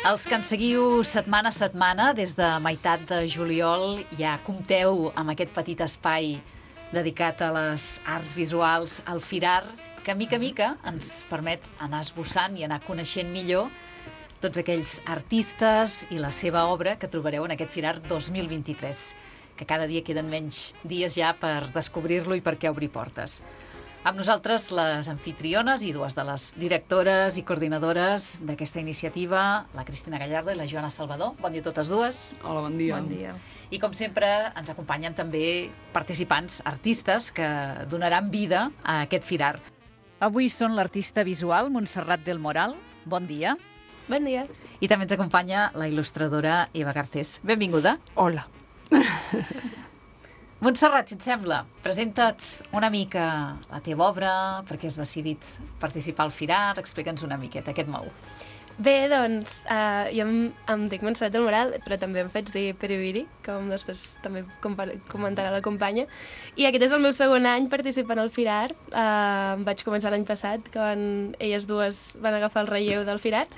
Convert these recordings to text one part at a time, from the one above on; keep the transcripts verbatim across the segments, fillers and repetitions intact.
Els que ens seguiu setmana a setmana, des de meitat de juliol, ja compteu amb aquest petit espai dedicat a les arts visuals, al Firar, que mica a mica ens permet anar esbossant i anar coneixent millor tots aquells artistes i la seva obra que trobareu en aquest Firar dos mil vint-i-tres, que cada dia queden menys dies ja per descobrir-lo i perquè obrir portes. Amb nosaltres les anfitriones i dues de les directores i coordinadores d'aquesta iniciativa, la Cristina Gallardo i la Joana Salvador. Bon dia a totes dues. Hola, bon dia. Bon dia. I com sempre ens acompanyen també participants, artistes que donaran vida a aquest Firar. Avui són l'artista visual Montserrat del Moral. Bon dia. Bon dia. I també ens acompanya la il·lustradora Eva Garcés. Benvinguda. Hola. Montserrat, si et sembla, presenta't una mica la teva obra, perquè has decidit participar al Firar, explica'ns una miqueta, què et mou? Bé, doncs, uh, jo em, em dic Montserrat del Moral, però també em faig dir Periviri, com després també comentarà la companya. I aquest és el meu segon any participant al Firar. Uh, vaig començar l'any passat, quan elles dues van agafar el relleu del Firar,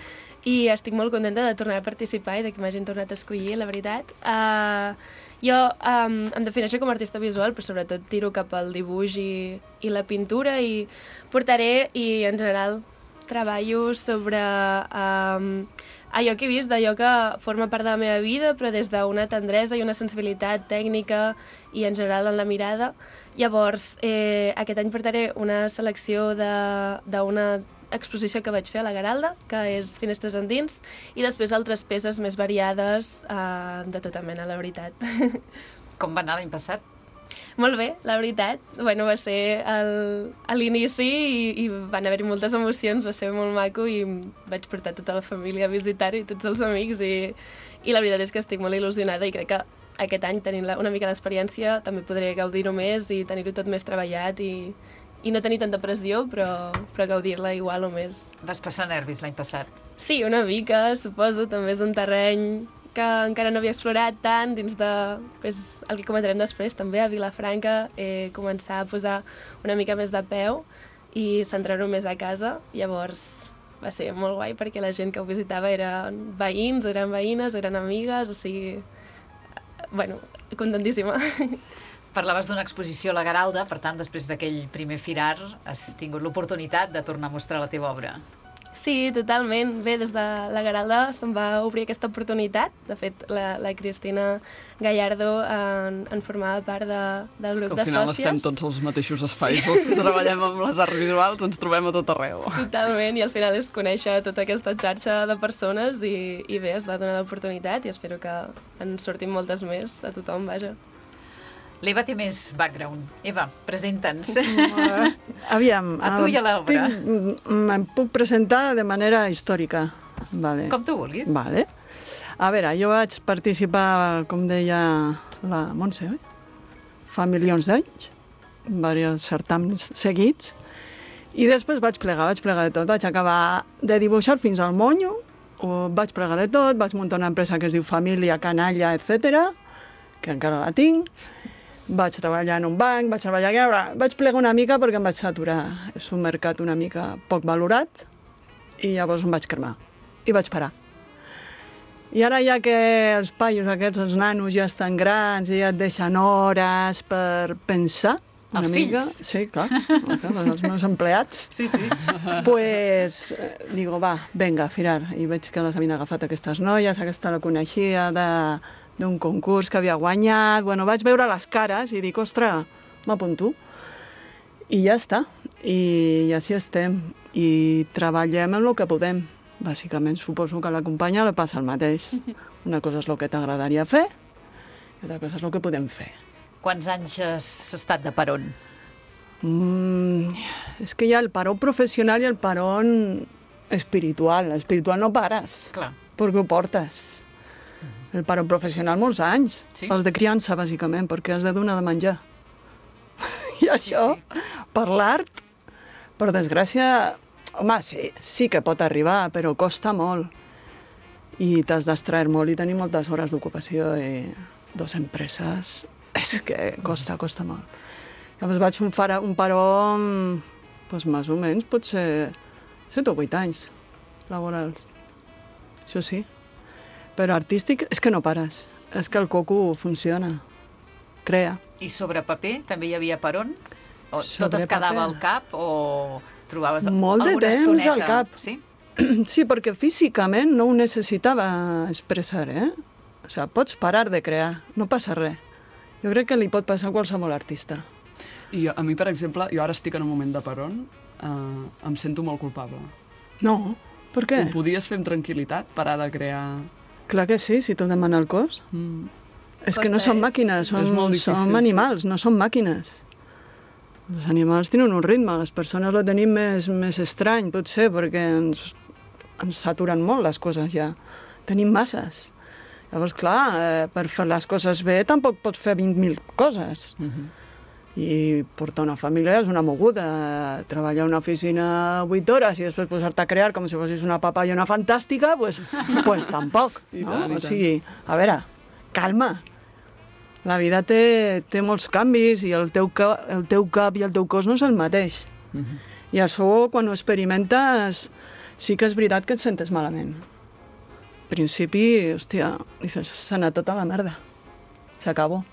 i estic molt contenta de tornar a participar i de que m'hagin tornat a escollir, la veritat. Uh, Jo um, em defineixo com a artista visual, però sobretot tiro cap al dibuix i, i la pintura, i portaré, i en general treballo sobre um, allò que he vist, d'allò que forma part de la meva vida, però des d'una tendresa i una sensibilitat tècnica i en general en la mirada. Llavors, eh, aquest any portaré una selecció d'una exposició que vaig fer a la Garalda, que és Finestres endins, i després altres peces més variades eh, de tota mena, la veritat. Com va anar l'any passat? Molt bé, la veritat. Bueno, va ser el, a l'inici i, i van haver-hi moltes emocions, va ser molt maco i vaig portar tota la família a visitar-ho i tots els amics i, i la veritat és que estic molt il·lusionada i crec que aquest any, tenint una mica l'experiència, també podré gaudir-ho més i tenir-ho tot més treballat i i no tenir tanta pressió, però, però gaudir-la igual o més. Vas passar nervis l'any passat? Sí, una mica, suposo. També és un terreny que encara no havia explorat tant, dins de pues, el que comentarem després, també a Vilafranca, eh, començar a posar una mica més de peu i centrar-ho més a casa. Llavors va ser molt guai perquè la gent que ho visitava eren veïns, eren veïnes, eren amigues, o sigui, bueno, contentíssima. Parlaves d'una exposició a la Garalda, per tant, després d'aquell primer Firar has tingut l'oportunitat de tornar a mostrar la teva obra. Sí, totalment. Bé, des de la Garalda se'm va obrir aquesta oportunitat. De fet, la, la Cristina Gallardo en, en formava part de, del grup de sòcies. Al final estem tots als mateixos espais, els que treballem amb les arts visuals, ens trobem a tot arreu. Totalment, i al final és conèixer tota aquesta xarxa de persones i, i bé, es va donar l'oportunitat i espero que en sortin moltes més a tothom, vaja. L'Eva té més background. Eva, presenta'ns. Uh, aviam. A tu i a l'obra. Me'n puc presentar de manera històrica. Vale. Com tu vulguis. Vale. A veure, jo vaig participar, com deia la Montse, oi? Fa milions d'anys, diversos certàmens seguits, i després vaig plegar, vaig plegar de tot. Vaig acabar de dibuixar fins al monyo, o vaig plegar de tot, vaig muntar una empresa que es diu Família, Canalla, etcètera, que encara la tinc. Vaig treballar en un banc, vaig treballar allà, vaig plegar una mica perquè em vaig saturar. És un mercat una mica poc valorat i llavors em vaig cremar i vaig parar. I ara ja que els paios aquests, els nanos, ja estan grans i ja et deixen hores per pensar una els mica. Fills. Sí, clar, els meus empleats. Sí, sí. Pues, digo, va, venga, Firar. I veig que les havien agafat aquestes noies, aquesta la coneixia de... d'un concurs que havia guanyat. Bueno, vaig veure les cares i dic, ostres, m'apunto. I ja està. I, I així estem. I treballem en el que podem. Bàsicament, suposo que a la companya li passa el mateix. Una cosa és el que t'agradaria fer i altra cosa és el que podem fer. Quants anys has estat de peron? Mm, és que hi ha el paró professional i el paró espiritual. L'espiritual no pares. Clar. Perquè ho portes. El paró professional molts anys. Sí? Els de criança, bàsicament, perquè has de donar de menjar. I això, Sí, sí. per l'art, per desgràcia, home, sí, sí que pot arribar, però costa molt. I t'has d'extrair molt i tenir moltes hores d'ocupació i dos empreses. És que costa, costa molt. Llavors vaig un, fara, un paró, doncs, més o menys, potser set o vuit anys laborals. Això sí. Però artístic és que no pares. És que el coco funciona, crea. I sobre paper també hi havia per on? O Sobre tot es quedava paper. al cap o trobaves Molt de alguna temps estoneta? al cap. Sí? Sí, perquè físicament no ho necessitava expressar, eh? O sigui, pots parar de crear, no passa res. Jo crec que li pot passar a qualsevol artista. I a mi, per exemple, jo ara estic en un moment de peron, eh, em sento molt culpable. No, per què? Ho podies fer amb tranquil·litat, parar de crear... Clar que sí, si t'ho demana el cos. Mm. És que no Costa, són és- màquines, és són, molt difícil, som sí. animals, no són màquines. Els animals tenen un ritme, les persones lo tenim més, més estrany, potser, perquè ens, ens saturen molt les coses ja. Tenim masses. Llavors, clar, eh, per fer les coses bé tampoc pots fer vint mil coses. Mm-hmm. I portar una família és una moguda. Treballar a una oficina vuit hores i després posar-te a crear com si fossis una papallona fantàstica, pues, pues tampoc. I No? tant, i O tant. sigui, a veure, calma. La vida té, té molts canvis i el teu, ca, el teu cap i el teu cos no és el mateix. Mm-hmm. I això, quan ho experimentes, sí que és veritat que et sentes malament. Al principi, hòstia, dices, s'ha anat tota la merda. S'acabó.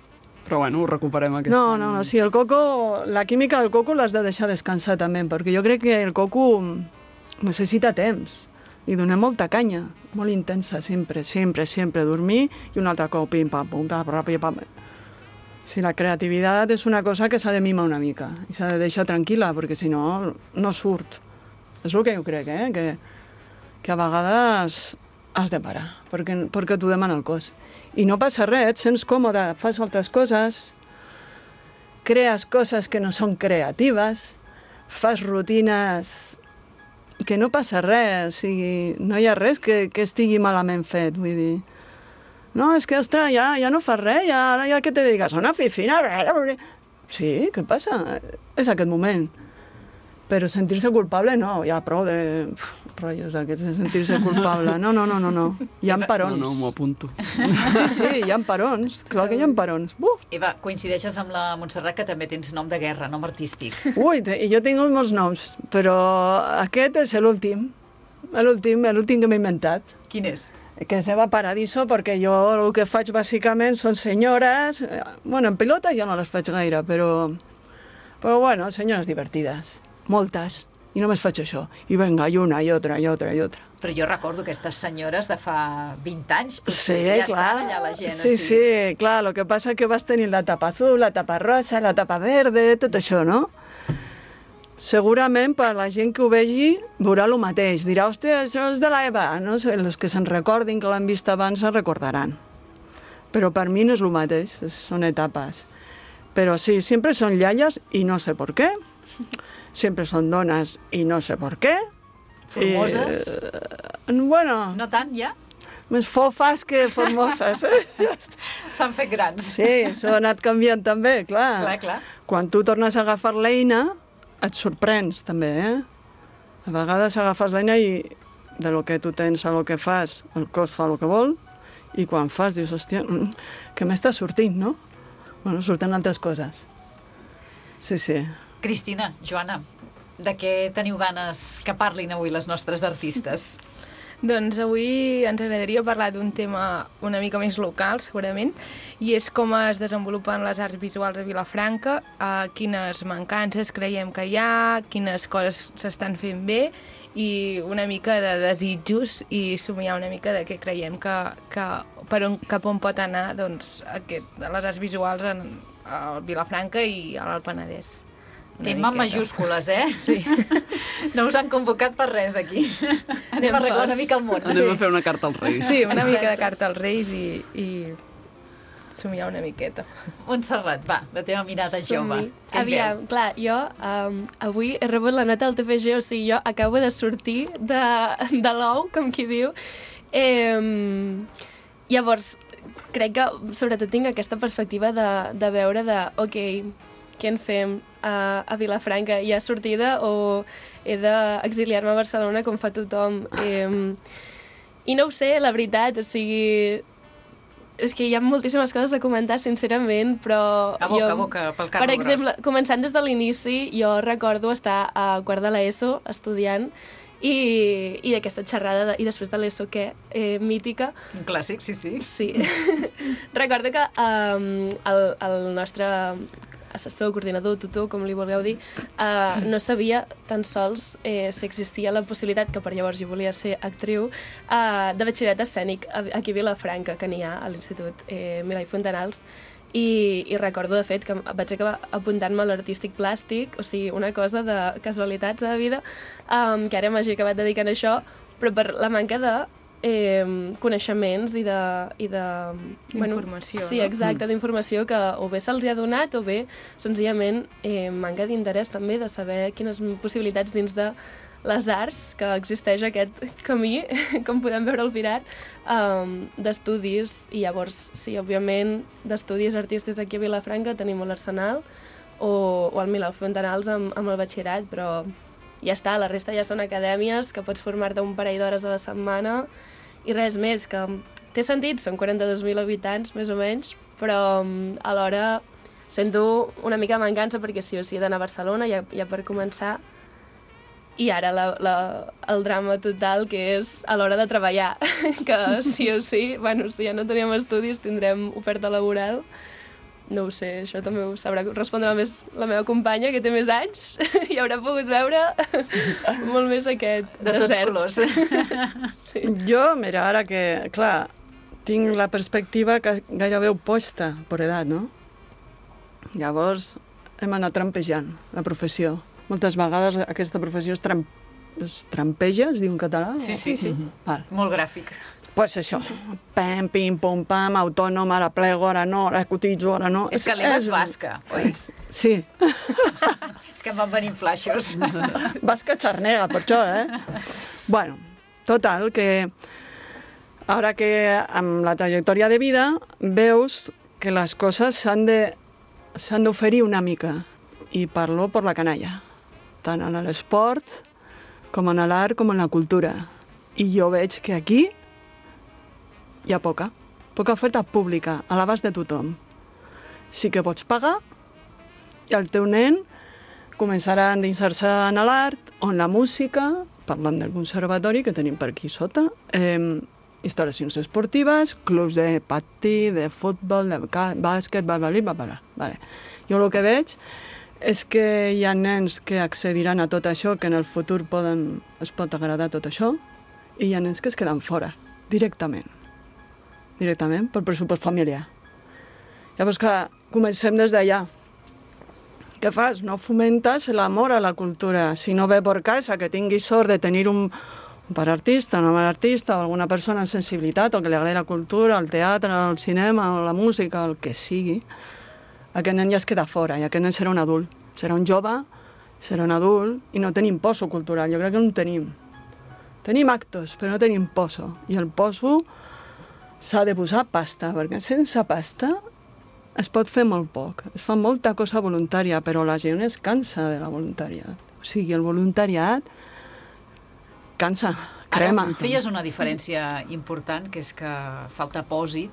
Però bueno, ho recuperem aquest No, any. no, no, sí, el coco, la química del coco l'has de deixar descansar també, perquè jo crec que el coco necessita temps. Li donem molta canya, molt intensa, sempre, sempre, sempre, dormir i un altre cop, pim, pam, pum, pam, pam, pam. Si la creativitat és una cosa que s'ha de mimar una mica i s'ha de deixar tranquil·la, perquè si no, no surt. És el que jo crec, eh? que, que a vegades has de parar, perquè, perquè t'ho demana el cos. I no passa res, et sents còmode, fas altres coses, crees coses que no són creatives, fas rutines que no passa res, o sigui, no hi ha res que, que estigui malament fet, vull dir. No, és que, ostres, ja, ja no fas res, ja, ara ja que te dediques a una oficina... Sí, què passa? És aquest moment. Però sentir-se culpable, no, ja prou de uf, rotllos aquests de sentir-se culpable. No, no, no, no, no. Hi ha parons. No, no, m'ho apunto. Sí, sí, hi ha parons. Clar que hi ha parons. Uf! Eva, coincideixes amb la Montserrat que també tens nom de guerra, nom artístic. Ui, te- jo tinc molts noms, però aquest és l'últim. L'últim, l'últim que m'he inventat. Quin és? Que se va Paradiso, perquè jo el que faig bàsicament són senyores... eh, Bueno, en pilota ja no les faig gaire, però... Però bueno, senyores divertides. Moltes. I només faig això. I vinga, i una, i otra, i otra, i otra. Però jo recordo aquestes senyores de fa vint anys, potser Sí, ja clar. estan allà la gent. Sí, així. sí, clar, el que passa que vas tenir la tapa azul, la tapa rosa, la tapa verde, tot això, no? Segurament, per la gent que ho vegi, veurà el mateix. Dirà, hòstia, això és de l'Eva. No sé, els que se'n recordin, que l'han vist abans, se'n recordaran. Però per mi no és el mateix, és- són etapes. Però sí, sempre són iaies i no sé per què. Sempre són dones i no sé per què. Formoses? I, eh, bueno, No tant, ja? més fofes que formoses. Eh? S'han fet grans. Sí, això ha anat canviant també, clar. Clar, clar. Quan tu tornes a agafar l'eina, et sorprens també, eh? A vegades agafes l'eina i de lo que tu tens a lo que fas, el cos fa el que vol, i quan fas dius, hòstia, mm, que m'està sortint, no? Bueno, surten altres coses. Sí, sí. Cristina, Joana, de què teniu ganes que parlin avui les nostres artistes? Doncs avui ens agradaria parlar d'un tema una mica més local, segurament, i és com es desenvolupen les arts visuals a Vilafranca, eh, quines mancances creiem que hi ha, quines coses s'estan fent bé, i una mica de desitjos i somiar una mica de què creiem que, que per on, cap on pot anar doncs, aquest, les arts visuals en, a Vilafranca i al Penedès. Una Tema en miqueta. majúscules, eh? Sí. No us han convocat per res, aquí. Anem a arreglar una mica el món. Anem a fer una carta als Reis. Sí, una Exacte. mica de carta als Reis i, i somiar una miqueta. Montserrat, va, la teva mirada jove. Som-hi. Què en Aviam, veu? clar, jo um, avui he rebut la nota del T P G, o sigui, jo acabo de sortir de, de l'ou, com qui diu. Eh, llavors, crec que sobretot tinc aquesta perspectiva de, de veure de, ok, què en fem a, a Vilafranca? Hi ha sortida o he d'exiliar-me a Barcelona com fa tothom? Eh, I no ho sé, la veritat, o sigui... És que hi ha moltíssimes coses a comentar, sincerament, però... A boca, jo, a boca, pel carro Per exemple, gros. començant des de l'inici, jo recordo estar a quart de l'ESO estudiant i, i d'aquesta xerrada, de, i després de l'E S O què, eh, mítica. Un clàssic, sí, sí. Sí. Recordo que um, el, el nostre assessor, coordinador, tutor, com li vulgueu dir, uh, no sabia tan sols eh, si existia la possibilitat, que per llavors jo volia ser actriu, uh, de batxillerat escènic aquí a Vilafranca, que n'hi ha a l'Institut eh, Milà i Fontanals, i, i recordo, de fet, que vaig acabar apuntant-me a l'artístic plàstic, o sigui, una cosa de casualitats de la vida, um, que ara m'hagi acabat dedicant a això, però per la manca de eh, coneixements i de... I de d'informació, bueno, sí, no? exacte, d'informació que o bé se'ls ha donat o bé, senzillament, eh, manca d'interès també de saber quines possibilitats dins de les arts, que existeix aquest camí, com podem veure al Firat, um, d'estudis, i llavors, sí, òbviament, d'estudis artístics aquí a Vilafranca tenim l'Arsenal o, o el Milà Fontanals amb, amb el batxillerat, però ja està, la resta ja són acadèmies que pots formar-te un parell d'hores a la setmana i res més, que té sentit, són quaranta-dos mil habitants, més o menys, però um, alhora sento una mica mancança perquè sí o sí he d'anar a Barcelona, ja, ja per començar. I ara la, la, el drama total, que és a l'hora de treballar, que sí o sí, bueno, si ja no teníem estudis, tindrem oferta laboral. No ho sé, això també ho sabrà respondre més la meva companya, que té més anys, i haurà pogut veure molt més aquest de desert. tots colors. Sí. Jo, mira, ara que, clar, tinc la perspectiva que gairebé oposta per edat, no? Llavors hem anat trampejant la professió. Moltes vegades aquesta professió es, tram... es trampeja, es diu en català? Sí, sí, sí. Val. Molt gràfic. Pues això, pam, pim, pum, pam, autònom, ara plego, ara no, ara cotitzo, ara no... És que l'Eva és basca, oi? Sí. És que em van venir flaixos. Basca xarnega, per això, eh? Bueno, total, que ara que amb la trajectòria de vida veus que les coses s'han de s'han d'oferir una mica, i parlo per la canalla, tant en l'esport, com en l'art, com en la cultura. I jo veig que aquí hi ha poca, poca oferta pública, a l'abast de tothom. Sí que pots pagar, i el teu nen començarà a endinsar-se en l'art o en la música, parlant del conservatori que tenim per aquí sota, eh, instal·lacions esportives, clubs de patí, de futbol, de bàsquet, bla, bla, bla, bla, bla. Jo el que veig és que hi ha nens que accediran a tot això, que en el futur poden, es pot agradar tot això, i hi ha nens que es queden fora, directament. Directament, pel pressupost familiar. Llavors, clar, comencem des d'allà. Què fas? No fomentes l'amor a la cultura. Si no ve per casa que tinguis sort de tenir un, un pare artista, una mare artista, o alguna persona amb sensibilitat, o que li agradi la cultura, el teatre, el cinema, la música, el que sigui, aquest nen ja es queda fora, i aquest nen serà un adult. Serà un jove, serà un adult, i no tenim poso cultural, jo crec que no en tenim. Tenim actos, però no tenim poso. I el poso s'ha de posar pasta, perquè sense pasta es pot fer molt poc. Es fa molta cosa voluntària, però la gent es cansa de la voluntariat. O sigui, el voluntariat cansa, crema. Ara feies una diferència important, que és que falta pòsit,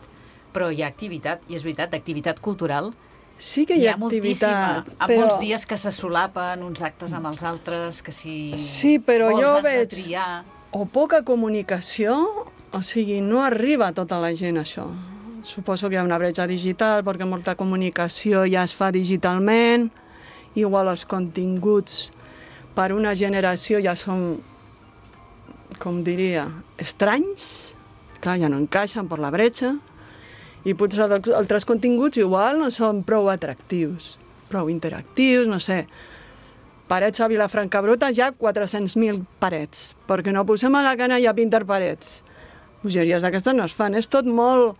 però hi ha activitat, i és veritat, d'activitat cultural. Sí que hi ha, hi ha moltíssima, activitat, amb però... molts dies que se solapen uns actes amb els altres, que si sí, però vols jo has veig... de triar... O poca comunicació, o sigui, no arriba a tota la gent això. Suposo que hi ha una bretxa digital, perquè molta comunicació ja es fa digitalment, igual els continguts per una generació ja són, com diria, estranys, clar, ja no encaixen per la bretxa, i potser altres continguts igual no són prou atractius, prou interactius, no sé. Parets a Vilafranca Bruta hi ha quatre-cents mil parets, perquè no posem a la canalla a pintar parets. Bogeries d'aquestes no es fan, és tot molt...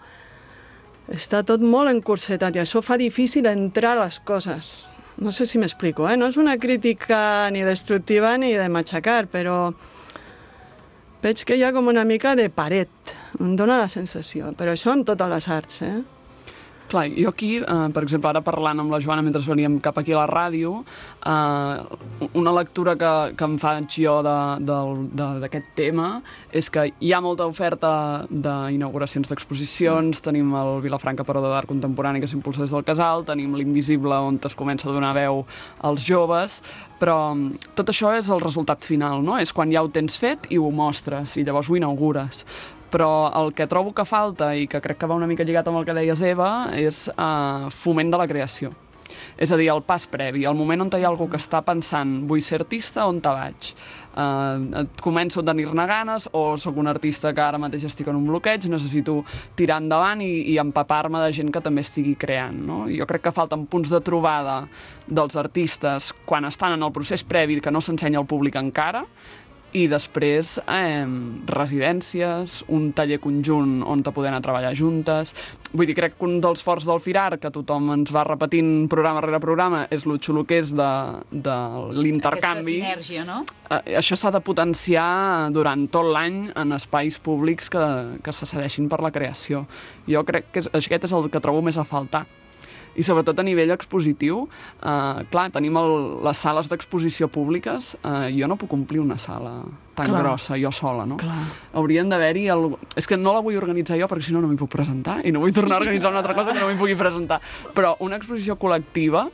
Està tot molt encursetat i això fa difícil entrar a les coses. No sé si m'explico, eh? No és una crítica ni destructiva ni de matxacar, però veig que hi ha com una mica de paret. Em dóna la sensació, però això en totes les arts, eh? Clar, jo aquí, eh, per exemple, ara parlant amb la Joana mentre veníem cap aquí a la ràdio, eh, una lectura que, que em faig jo d'aquest tema és que hi ha molta oferta d'inauguracions d'exposicions, mm. tenim el Vilafranca Parador d'Art Contemporani que s'impulsa des del Casal, tenim l'Invisible on es comença a donar veu als joves, però tot això és el resultat final, no? És quan ja ho tens fet i ho mostres i llavors ho inaugures. Però el que trobo que falta, i que crec que va una mica lligat amb el que deies, Eva, és eh, foment de la creació. És a dir, el pas previ, el moment on hi ha algú que està pensant vull ser artista, on te vaig? Uh, començo a tenir-ne ganes o sóc un artista que ara mateix estic en un bloqueig, necessito tirar endavant i, i empapar-me de gent que també estigui creant, no? Jo crec que falten punts de trobada dels artistes quan estan en el procés previ que no s'ensenya al públic encara, i després eh, residències, un taller conjunt on te poder anar a treballar juntes. Vull dir, crec que un dels forts del Firar, que tothom ens va repetint programa rere programa, és lo xulo que és de, de l'intercanvi. Aquesta sinergia, no? Eh, això s'ha de potenciar durant tot l'any en espais públics que, que se cedeixin per la creació. Jo crec que és, aquest és el que trobo més a faltar. I sobretot a nivell expositiu, eh, clar, tenim el, les sales d'exposició públiques, eh, jo no puc omplir una sala tan clar. grossa, jo sola, no? Clar. Haurien d'haver-hi... El... És que no la vull organitzar jo perquè si no no m'hi puc presentar i no vull tornar a organitzar una altra cosa que no m'hi pugui presentar. Però una exposició col·lectiva,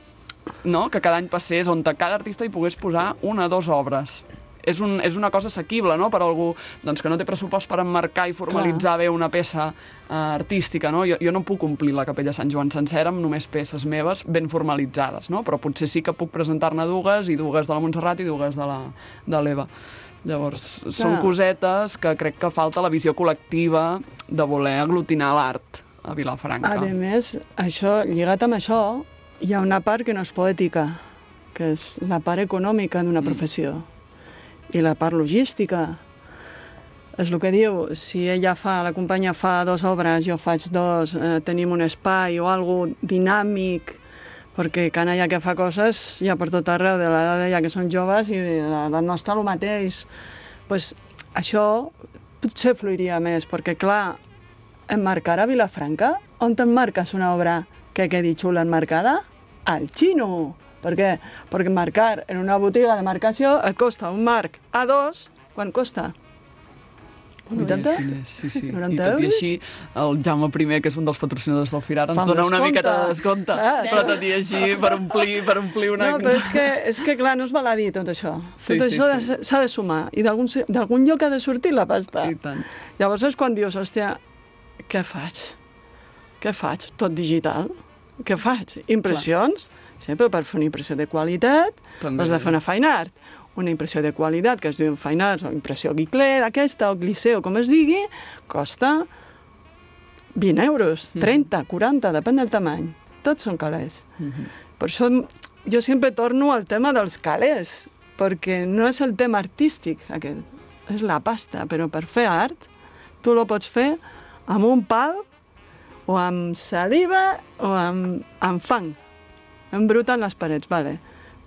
no?, que cada any passés, on cada artista hi pogués posar una o dues obres. És, un, és una cosa assequible, no?, per algú doncs, que no té pressupost per emmarcar i formalitzar Clar. bé una peça uh, artística, no? Jo, jo no puc omplir la Capella Sant Joan sencera amb només peces meves ben formalitzades, no? Però potser sí que puc presentar-ne dues, i dues de la Montserrat i dues de l'Eva. Llavors, Clar. són cosetes que crec que falta la visió col·lectiva de voler aglutinar l'art a Vilafranca. A més, això, lligat amb això, hi ha una part que no és poètica, que és la part econòmica d'una professió. Mm. I la part logística. És el que diu, si ella fa, la companya fa dues obres, jo faig dos, eh, tenim un espai o algo dinàmic, perquè canalla que fa coses ja per tot arreu, de l'edat d'ella que són joves i de l'edat nostra el mateix. Pues, això potser fluiria més, perquè clar, emmarcar a Vilafranca, on t'emmarques una obra que quedi xula enmarcada? Al xino! Per què? Perquè marcar en una botiga de marcació et costa un marc A dos, quan costa? vuitanta? Sí, sí. noranta I tot i euros? així, el Jaume I, que és un dels patrocinadors del Firar, ens Fa dona una descompte. miqueta de descompte. Ah, però tot i així, per omplir, per omplir una... No, però és que, és que clar, no es val a dir tot això. Sí, tot sí, això sí. s'ha de sumar. I d'algun lloc ha de sortir la pasta. I tant. Llavors és quan dius, hòstia, què faig? Què faig? Tot digital? Què faig? Impressions? Clar. Sempre per fer una impressió de qualitat També. has de fer una fine art. Una impressió de qualitat que es diu fine art o impressió Guiclet, aquesta, o Glissé, o com es digui, costa vint euros, trenta, quaranta, depèn del tamany. Tots són calés. Mm-hmm. Per això jo sempre torno al tema dels calés, perquè no és el tema artístic aquest, és la pasta, però per fer art tu lo pots fer amb un pal o amb saliva o amb, amb fang. Embruten les parets, vale.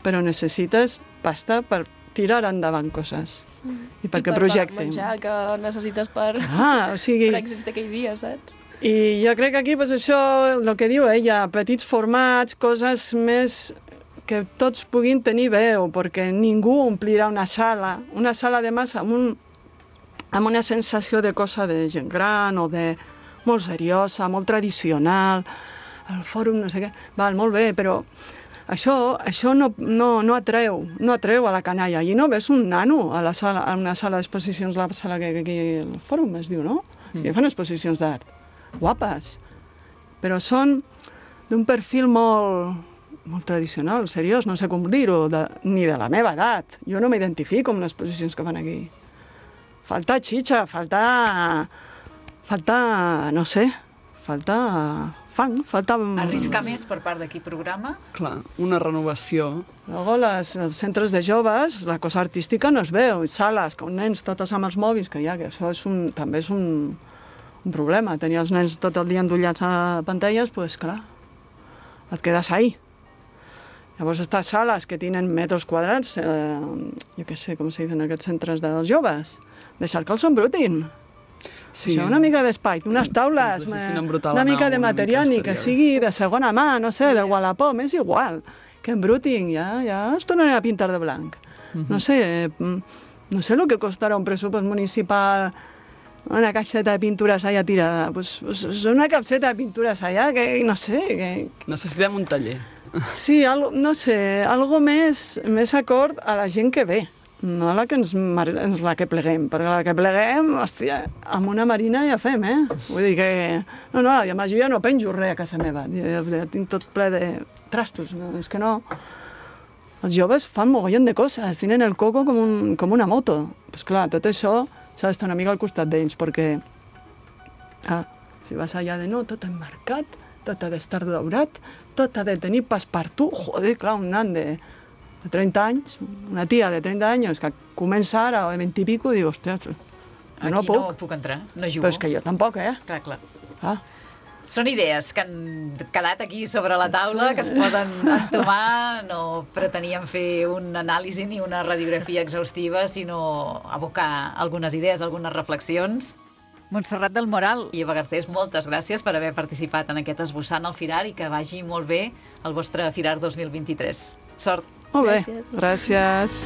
Però necessites pasta per tirar endavant coses. Mm. I perquè I per projectin. menjar que necessites per, ah, o sigui, per existir aquell dia, saps? I jo crec que aquí, pues, això, el que diu ella, petits formats, coses més que tots puguin tenir veu, perquè ningú omplirà una sala, una sala de massa amb, un, amb una sensació de cosa de gent gran o de molt seriosa, molt tradicional, el fòrum no sé què, val, molt bé, però això, això no, no, no atreu, no atreu a la canalla. I no ves un nano a, la sala, a una sala d'exposicions, la sala que aquí el fòrum es diu, no? Mm. Sí, fan exposicions d'art, guapes, però són d'un perfil molt, molt tradicional, seriós, no sé com dir-ho, ni de la meva edat. Jo no m'identifico amb les exposicions que fan aquí. Falta xitxa, falta... falta, no sé, falta... fang, falta... Arriscar més per part d'aquí programa? Clar, una renovació. Luego, les, els centres de joves, la cosa artística no es veu, sales, com nens, totes amb els mòbils, que ja, que això és un, també és un, un problema. Tenir els nens tot el dia endollats a pantalles, pues clar, et quedes ahí. Llavors, estas sales que tenen metres quadrats, eh, jo què sé, com se diuen aquests centres dels joves, deixar que els embrutin. Sí. Això, una mica d'espai, unes taules, Que ens deixessin me- embrutar una la mica nau, de una material, mica ni que estaria sigui de segona mà, no sé, del Wallapop, és igual, que embrutin, ja, ja es tornaré a pintar de blanc. No sé, eh, no sé el que costarà un pressupost municipal, una caixeta de pintures allà tirada, pues, pues una capseta de pintures allà, que no sé, que, Necessitem un taller. sí, algo, no sé, algo més, més acord a la gent que ve, no a la que ens, mar- ens la que pleguem, perquè la que pleguem, hòstia, amb una marina ja fem, eh? Vull dir que... No, no, i a més jo ja no penjo res a casa meva, ja, ja tinc tot ple de trastos, no? És que no... Els joves fan mogollon de coses, tenen el coco com, un, com una moto. Pues clar, tot això s'ha d'estar una mica al costat d'ells, perquè ah, si vas allà de no, tot emmarcat, tot ha d'estar daurat, tot ha de tenir passepartout, joder, clar, un nan de, de trenta anys, una tia de trenta anys que comença ara, o de vint i pico, diu, hòstia, jo no Aquí puc. no puc entrar, no jugo. Però és que jo tampoc, eh? Clar, clar. Ah. Són idees que han quedat aquí sobre la taula, que es poden entomar. No preteníem fer un anàlisi ni una radiografia exhaustiva, sinó abocar algunes idees, algunes reflexions. Montserrat del Moral i Eva Garcés, moltes gràcies per haver participat en aquest esbossant al Firar i que vagi molt bé el vostre Firar dos mil vint-i-tres. Sort! Molt bé, Gràcies. gràcies.